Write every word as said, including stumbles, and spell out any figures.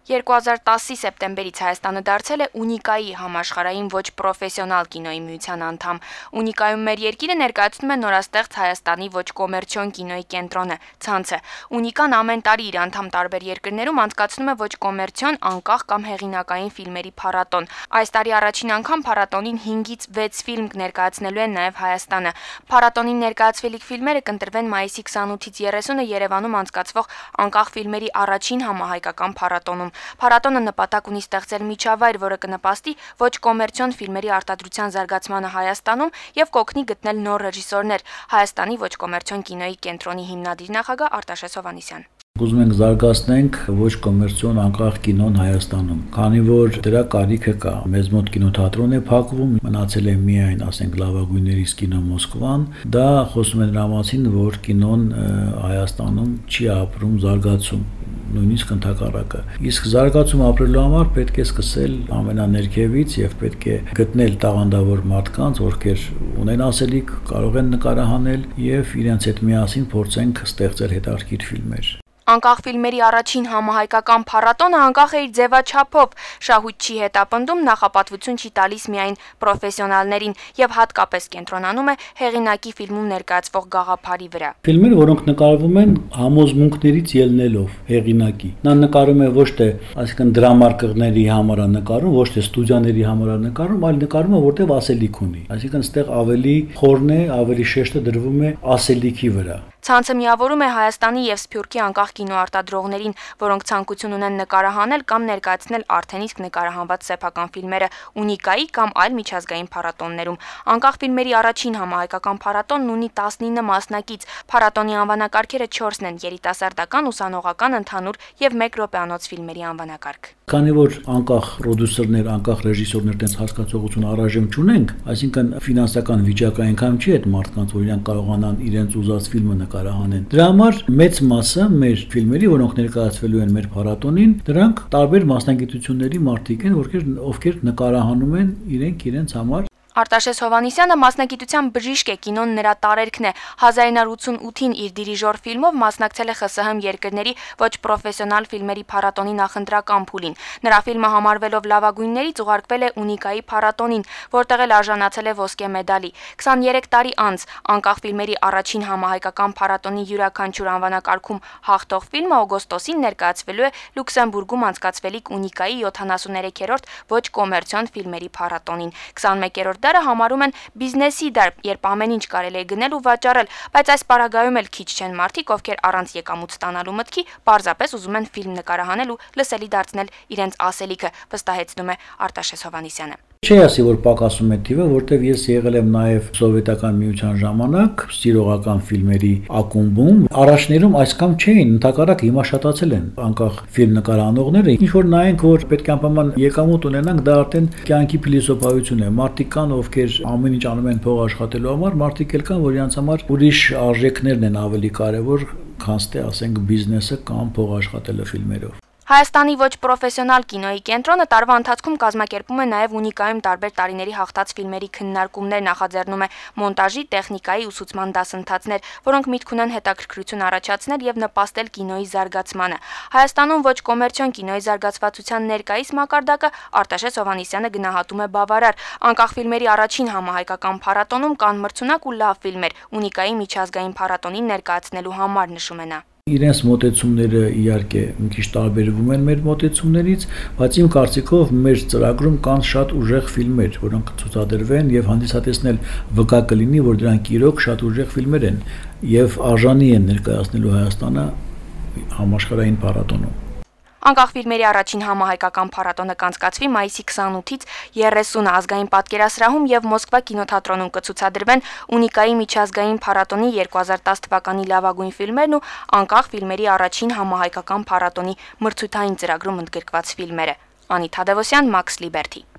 երկու հազար տասի սեպտեմբերից Հայաստանը դարձել է Ունիկայի համաշխարհային ոչ պրոֆեսիոնալ կինոյի միության անդամ։ Ունիկայում մեր երկիրը ներկայացնում է նորաստեղծ Հայաստանի ոչ կոմերցիոն կինոյի կենտրոնը՝ ցանցը։ Ունիկան ամեն տարի իր անդամ տարբեր երկրներում անցկացնում է ոչ կոմերցիոն, անկախ կամ հեղինակային ֆիլմերի փառատոն։ Այս տարի առաջին անգամ փառատոնին հինգից վեց ֆիլմ ներկայացնելու են նաև Հայաստանը։ Փառատոնին ներկայացվելիք ֆիլմերը կընտրվեն մայիսի քսանութից երեսունը Երևանում անցկացվող անկախ ֆիլմերի առաջին համահայկական փառատոնում։ Փառատոնը նպատակ ունի ստեղծել միջավայր, որը կնպաստի ոչ կոմերցիոն ֆիլմերի արտադրության զարգացմանը Հայաստանում եւ կօգնի գտնել նոր ռեժիսորներ։ Հայաստանի ոչ կոմերցիոն կինոյի կենտրոնի հիմնադիր նախագահ Արտաշես Հովհաննիսյան։ Ուզում ենք զարգացնենք ոչ կոմերցիոն անկախ կինոն Հայաստանում, քանի որ դրա կարիքը կա։ Մեզ մոտ կինոթատրոն է փակվում, մնացել է միայն, ասենք, լավագույններից կինո Մոսկվան։ Դա խոսում է նրա մասին, որ կինոն Հայաստանում չի ապրում զարգացում, նույնիսկ ընդհակառակը։ Իսկ զարգացում ապրելու համար պետք է սկսել ամենաներքևից եւ պետք է գտնել տաղանդավոր մարդկանց, ովքեր ունեն ասելիք, կարող են նկարահանել եւ իրենց հետ միասին փորձենք ստեղծել հետաքրքիր ֆիլմեր։ Անկախ ֆիլմերի առաջին համահայկական փառատոնը անկախ է իր ձևաչափով, շահույթ չի հետապնդում, նախապատվություն չի տալիս միայն պրոֆեսիոնալներին եւ հատկապես կենտրոնանում է հեղինակի ֆիլմում ներկայացվող գաղափարի վրա։ Ֆիլմերը, որոնք նկարվում են համոզմունքներից ելնելով հեղինակի։ Նա նկարում է ոչ թե, այսինքն դրամարկղների համար է նկարում, ոչ թե ստուդիաների համար է նկարում, այլ նկարում է որտեղ ասելիք ունի։ Այսինքն այստեղ ավելի խորն է, ավելի շեշտը դրվում է ասելիքի վրա։ Ցանցը միավորում է Հայաստանի եւ Սփյուռքի անկախ կինոարտադրողներին, որոնք ցանկություն ունեն նկարահանել կամ ներկայացնել արդեն իսկ նկարահանված սեփական ֆիլմերը Ունիկայի կամ այլ միջազգային փառատոններում։ Անկախ ֆիլմերի առաջին համահայկական փառատոնն ունի տասնինը մասնակից։ Փառատոնի անվանակարգերը չորսն են՝ երիտասարդական, ուսանողական, ընդհանուր եւ մեկ րոպեանոց ֆիլմերի անվանակարգ։ Քանի որ անկախ պրոդյուսերներ, անկախ ռեժիսորներ տես հասկացողություն առայժմ չունենք, այսինքն ֆինանսական վիճակը այնքան չի այդ մարդկանց, որ իրենք կարողանան իրենց ուզած ֆիլմը նկարահանեն։ Դրա համար մեծ մասը մեր ֆիլմերի, որոնք ներկայացվելու են մեր փառատոնին, դրանք տարբեր մասնագիտությունների մարդիկ են, ովքեր ովքեր նկարահանում են իրենք իրենց համար։ Արտաշես Հովհաննիսյանը մասնագիտության բժիշկ է, կինոն նրա տարերքն է։ հազար ինը հարյուր ութին իր դիրիժոր ֆիլմով մասնակցել է ԽՍՀՄ երկրների ոչ պրոֆեսիոնալ ֆիլմերի փառատոնի նախընտրական փուլին։ Նրա ֆիլմը համարվելով լավագույններից ուղարկվել է Ունիկայի փառատոնին, որտեղ էլ արժանացել է ոսկե մեդալի։ քսաներեք տարի անց անկախ ֆիլմերի առաջին համահայկական փառատոնի յուրաքանչյուր անվանակարգում հաղթող ֆիլմը օգոստոսին ներկայացվելու է Լյուքսեմբուրգում անցկացվելիք Ունիկայի յոթանասուներեքերորդ ոչ կոմերցիոն ֆիլմերի փառատոնին։ քսանմեկերորդ դարը համարում են բիզնեսի դար, երբ ամեն ինչ կարելի է գնել ու վաճառել, բայց այս պարագայում էլ քիչ չեն մարդիկ, ովքեր առանց եկամուտ ստանալու մտքի պարզապես ուզում են ֆիլմ նկարահանել ու լսելի դարձնել իրենց ասելիքը, վստահեցնում է Արտաշես Հովհաննիսյանը։ Չի ասի, որ պակասում է թիվը, որտեվ ես եղել եմ նաև սովետական միության ժամանակ սիրողական ֆիլմերի ակումբում։ Առաջներում այսքան չէին, ընդհակառակը հիմա շատացել են անկախ ֆիլմ նկարահանողները։ Ինչ որ նայենք, որ պետք է անպայման եկամուտ ունենանք, դա արդեն կյանքի փիլիսոփայություն է։ Մարդիկ կան, ովքեր ամեն ինչ անում են փող աշխատելու համար, մարդիկ էլ կան, որ իրենց համար ուրիշ արժեքներն են ավելի կարևոր, քան թե ասենք բիզնեսը կամ փող աշխատելը ֆիլմերով։ Հայաստանի ոչ պրոֆեսիոնալ կինոյի կենտրոնը տարվա ընթացքում կազմակերպում է նաև Ունիկայում տարբեր տարիների հաղթած ֆիլմերի քննարկումներ, նախաձեռնում է մոնտաժի, տեխնիկայի, ուսուցման դասընթացներ, որոնք միտք ունեն հետաքրքրություն առաջացնել եւ նպաստել կինոյի զարգացմանը։ Հայաստանում ոչ կոմերցիոն կինոյի զարգացվածության ներկայիս մակարդակը Արտաշես Հովհաննիսյանը գնահատում է բավարար։ Անկախ ֆիլմերի առաջին համահայկական փառատոնում կան մրցունակ ու լավ ֆիլմեր Ունիկայի միջազգային փառատոնին ներկայացնելու համար, նշում է նա։ Իրենց մոտեցումները իհարկե մի քիչ տարբերվում են մեր մոտեցումներից, բայց իմ կարծիքով մեր ծրագրում կան շատ ուժեղ ֆիլմեր, որոնք ցուցադրվեն եւ հանդիսատեսնել վկա կլինի, որ դրանք իրոք շատ ուժեղ ֆիլմեր են եւ արժանի են ներկայացնելու Հայաստանը համաշխարհային փառատոնում։ Անկախ ֆիլմերի առաջին համահայկական փառատոնը կանցկացվի մայիսի քսանութից երեսունը ազգային պատկերասրահում եւ Մոսկվա կինոթատրոնում կցուցադրվեն Ունիկայի միջազգային փառատոնի երկու հազար տասը թվականի լավագույն ֆիլմերն ու անկախ ֆիլմերի առաջին համահայկական փառատոնի մրցութային ծրագրում ընդգրկված ֆիլմերը։ Անի Թադևոսյան, Մաքս Լիբերթի։